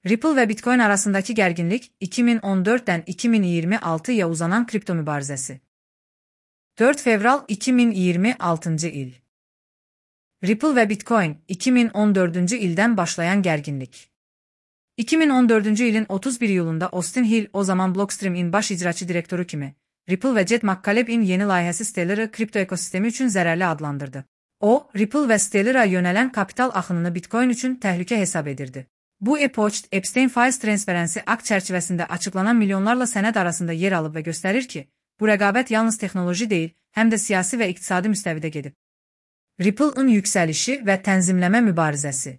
Ripple və Bitcoin arasındakı gərginlik 2014-dən 2026-ya uzanan kripto mübarizəsi. 4 fevral 2026-cı il. Ripple və Bitcoin 2014-cü ildən başlayan gərginlik. 2014-cü ilin 31 iyulunda Austin Hill, o zaman Blockstream-in baş icraçı direktoru kimi, Ripple və Jed McCaleb-in yeni layihəsi Stellar'ı kripto ekosistemi üçün zərərli adlandırdı. O, Ripple və Stellar'a yönələn kapital axınını Bitcoin üçün təhlükə hesab edirdi. Bu e-poçt Epstein Files transferensi akt çərçivəsində açıqlanan milyonlarla sənəd arasında yer alıb və göstərir ki, bu rəqabət yalnız texnoloji deyil, həm də siyasi və iqtisadi müstəvidə gedib. Ripple-ın yüksəlişi və tənzimləmə mübarizəsi.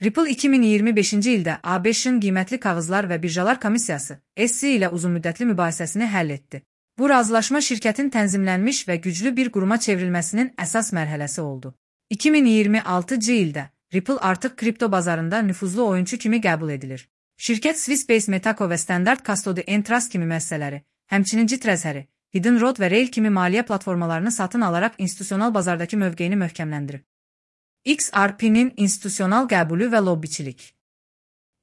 Ripple 2025-ci ildə ABŞ-ın qiymətli kağızlar və birjalar komissiyası SEC ilə uzunmüddətli mübahisəsini həll etdi. Bu razılaşma şirkətin tənzimlənmiş və güclü bir quruma çevrilməsinin əsas mərhələsi oldu. 2026-cı ildə Ripple artıq kripto bazarında nüfuzlu oyunçu kimi qəbul edilir. Şirkət Swissbase Metaco və Standard Custody and Trust kimi müəssisələri, həmçinin Trezor, Hidden Road və Rail kimi maliyyə platformalarını satın alaraq institusional bazardakı mövqeyini möhkəmləndirib. XRP-nin institusional qəbulü və lobbiçilik.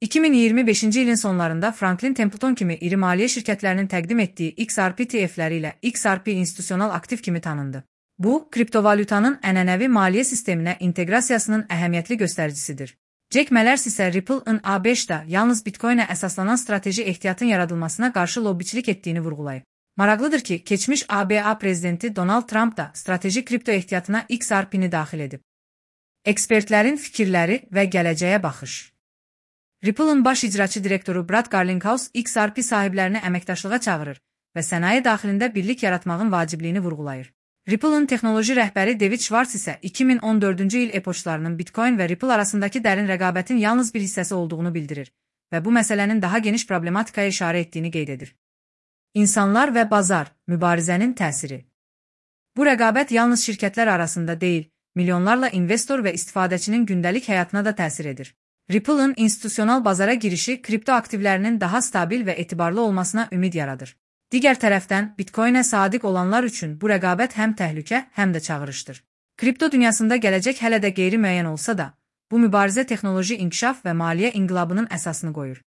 2025-ci ilin sonlarında Franklin Templeton kimi iri maliyyə şirkətlərinin təqdim etdiyi XRP TF-ləri ilə XRP institusional aktiv kimi tanındı. Bu, kriptovalyutanın ənənəvi maliyyə sisteminə inteqrasiyasının əhəmiyyətli göstəricisidir. Jack Mallers isə Ripple-ın ABŞ-da yalnız Bitcoin-ə əsaslanan strateji ehtiyatın yaradılmasına qarşı lobbiçilik etdiyini vurğulayıb. Maraqlıdır ki, keçmiş ABA prezidenti Donald Trump da strateji kripto ehtiyatına XRP-ni daxil edib. Ekspertlərin fikirləri və gələcəyə baxış. Ripple-ın baş icraçı direktoru Brad Garlinghouse XRP sahiblərini əməkdaşlığa çağırır və sənaye daxilində birlik yaratmağın vacibliyini vurğulayır. Ripple-ın texnoloji rəhbəri David Schwartz isə 2014-cü il e-poçtlarının Bitcoin və Ripple arasındakı dərin rəqabətin yalnız bir hissəsi olduğunu bildirir və bu məsələnin daha geniş problematikaya işarə etdiyini qeyd edir. İnsanlar və bazar, mübarizənin təsiri. Bu rəqabət yalnız şirkətlər arasında deyil, milyonlarla investor və istifadəçinin gündəlik həyatına da təsir edir. Ripple-ın institusional bazara girişi kripto aktivlərinin daha stabil və etibarlı olmasına ümid yaradır. Digər tərəfdən, Bitcoin-ə sadiq olanlar üçün bu rəqabət həm təhlükə, həm də çağırışdır. Kripto dünyasında gələcək hələ də qeyri-müəyyən olsa da, bu mübarizə texnoloji inkişaf və maliyyə inqilabının əsasını qoyur.